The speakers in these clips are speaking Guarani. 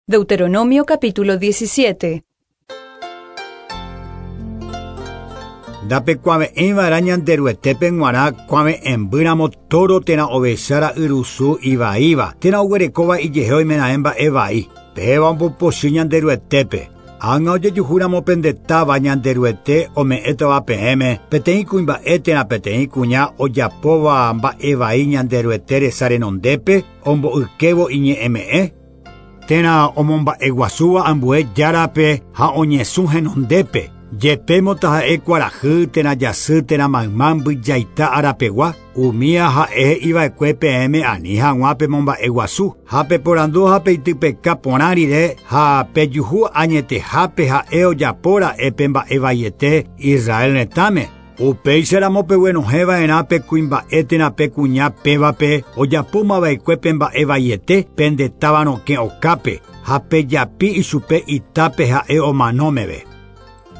Deuteronomio capítulo 17. Ndapekuave'ẽiva'erã Ñanderuetépe g̃uarã kuave'ẽmbýramo tóro térã ovecha ra'yrusu ivaíva térã oguerekóva ijehe oimeraẽ mba'e vai. Péva ombopochy Ñanderuetépe. Ág̃a ojejuhúramo pende táva Ñanderuete ome'ẽtava peẽme peteĩ kuimba'e térã peteĩ kuña ojapóva mba'e vai Ñanderuete resa renondépe ombo'ykévo iñe'ẽme'ẽ, térã omomba'eguasúva ambue járape ha oñesũ henondépe, jepémo taha'e kuarahy térã jasy térã mayma mbyjaita arapegua, umía ha'e he'iva'ekue peẽme ani hag̃ua pemomba'eguasu, ha peporandu ha peitypeka porã rire ha pejuhu añetehápe ha'e ojapóra'e pe mba'e vaiete Israel retãme. Upéicharamo peguenohẽva'erã pe kuimba'e térã pe kuña pévape ojapómava'ekue pe mba'e vaiete pende táva rokẽ okápe ha pejapi ichupe itápe ha'e omano meve.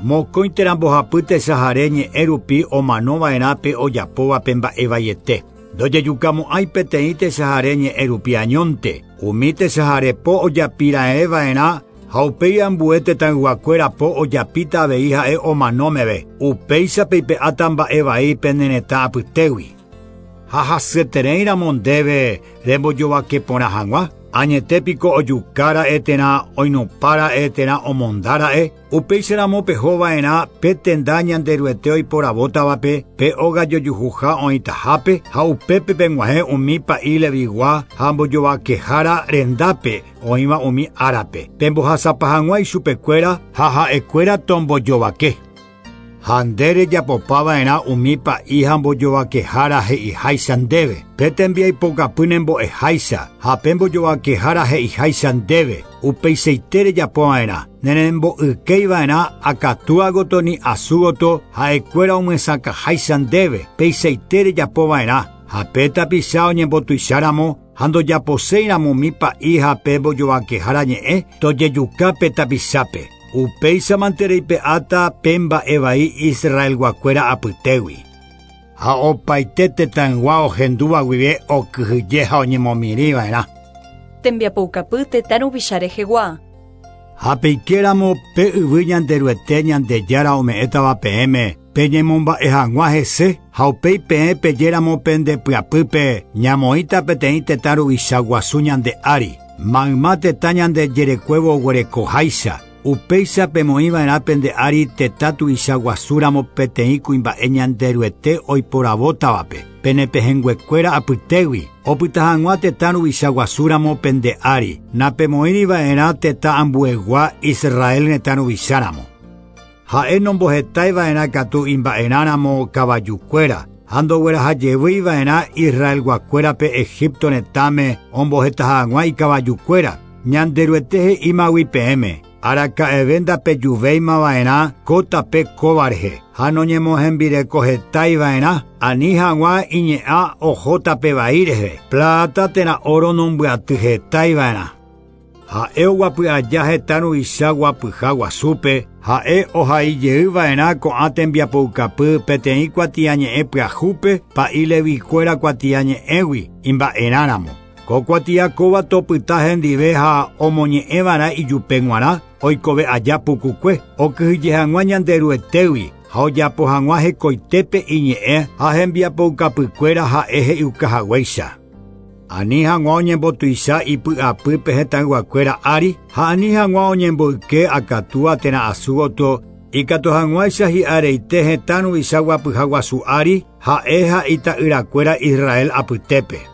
Mokõi térã mbohapy techahare ñe'ẽ rupi omanova'erã pe ojapóva pe mba'e vaiete. Ndojejukamo'ãi peteĩ techahare ñe'ẽ rupi añónte, umi techahare po ojapiraẽva'erã ha upéi ambue tetãyguakuéra po ojapíta avei ha'e omano meve. Upéicha peipe'áta mba'e vai pene retã apytégui. Ha hasyetereíramo ndéve rembojovake porã hag̃ua, añetépiko ojukára'e térã oinupára'e térã omondára'e, upéicharamo pehova'erã pe tenda Ñanderuete oiporavótavape pe óga jojuhuha oĩtahápe ha upépe peg̃uahẽ umi pa'i Levigua ha mbojovakehára rendápe oĩva umi árape. Pembohasapa hag̃ua ichupekuéra ha ha'ekuéra tombojovake. Ha nde rejapopava'erã umi pa'i ha mbojovakehára he'iháicha ndéve. Pe tembiaipokapy nembo'eháicha ha pe mbojovakehára he'iháicha ndéve. Upeichaite rejapova'erã. Nerembo'ykeiva'erã akatúagoto ni asúgoto ha'ekuéra omyesakãháicha ndéve. Peichaite rejapova'erã. Ha pe tapicha oñembotuicháramo ha ndojaposéiramo umi pa'i ha pe mbojovakehára ñe'ẽ tojejuka pe tapichápe. Upéichamante reipe'áta pe mba'e vai Israelguakuéra apytégui. Ha opaite tetãygua ohendúva guive okyhyje ha oñemomirĩva'erã. Tembiapoukapy tetã ruvicha rehegua. Ha peikéramo pe yvy Ñanderuete Ñandejára ome'ẽtava peẽme peñemomba'e hag̃ua hese ha upéi peẽ pejéramo pende pyapýpe ñamoĩta peteĩ tetã ruvicha guasu ñande ári. Mayma tetã ñande jerekuévo oguerekoháicha. Upéicha pemoĩva'erã pende ári tetã tuicha guasúramo peteĩ kuimba'e Ñanderuete oiporavótavape. Penepehẽnguekuéra apytégui. Opyta hag̃ua tetã ruvicha guasúramo pende ári. Napemoĩriva'erã tetã ambuegua Israel retã ruvicháramo. Ha'e nombohetaiva'erã katu imba'erãramo kavajukuéra ha ndoguerahajevýiva'erã Israelguakuérape Egipto retãme omboheta hag̃ua ikavajukuéra. Ñanderuete he'ímagui peẽme. Araka'eve ndapejuvéimava'erã ko tape kóva rehe ha noñemohembirekohetaiva'erã ani hag̃ua iñe'ã oho tape vai rehe. Plata térã oro nombyatyhetaiva'erã. Ha'e oguapy aja hetã ruvicha guapyha guasúpe, ha'e ohaijeyva'erã ko'ã tembiapoukapy peteĩ kuatiañe'ẽ pyahúpe pa'i Levikuéra kuatiañe'ẽgui imba'erãramo. Ko kuatia kóva topyta hendive ha omoñe'ẽva'erã ijupe g̃uarã oikove aja pukukue okyhyje hag̃ua Ñanderuetégui ha ojapo hag̃ua hekoitépe iñe'ẽ ha hembiapoukapykuéra ha'e he'iukahaguéicha. Ani hag̃ua oñembotuicha ipy'apýpe hetãyguakuéra ári ha ani hag̃ua oñemboyke akatúa térã asúgoto ikatu hag̃uáicha hi'areite hetã ruvicha guapyha guasu ári ha'e ha ita'yrakuéra Israel apytépe.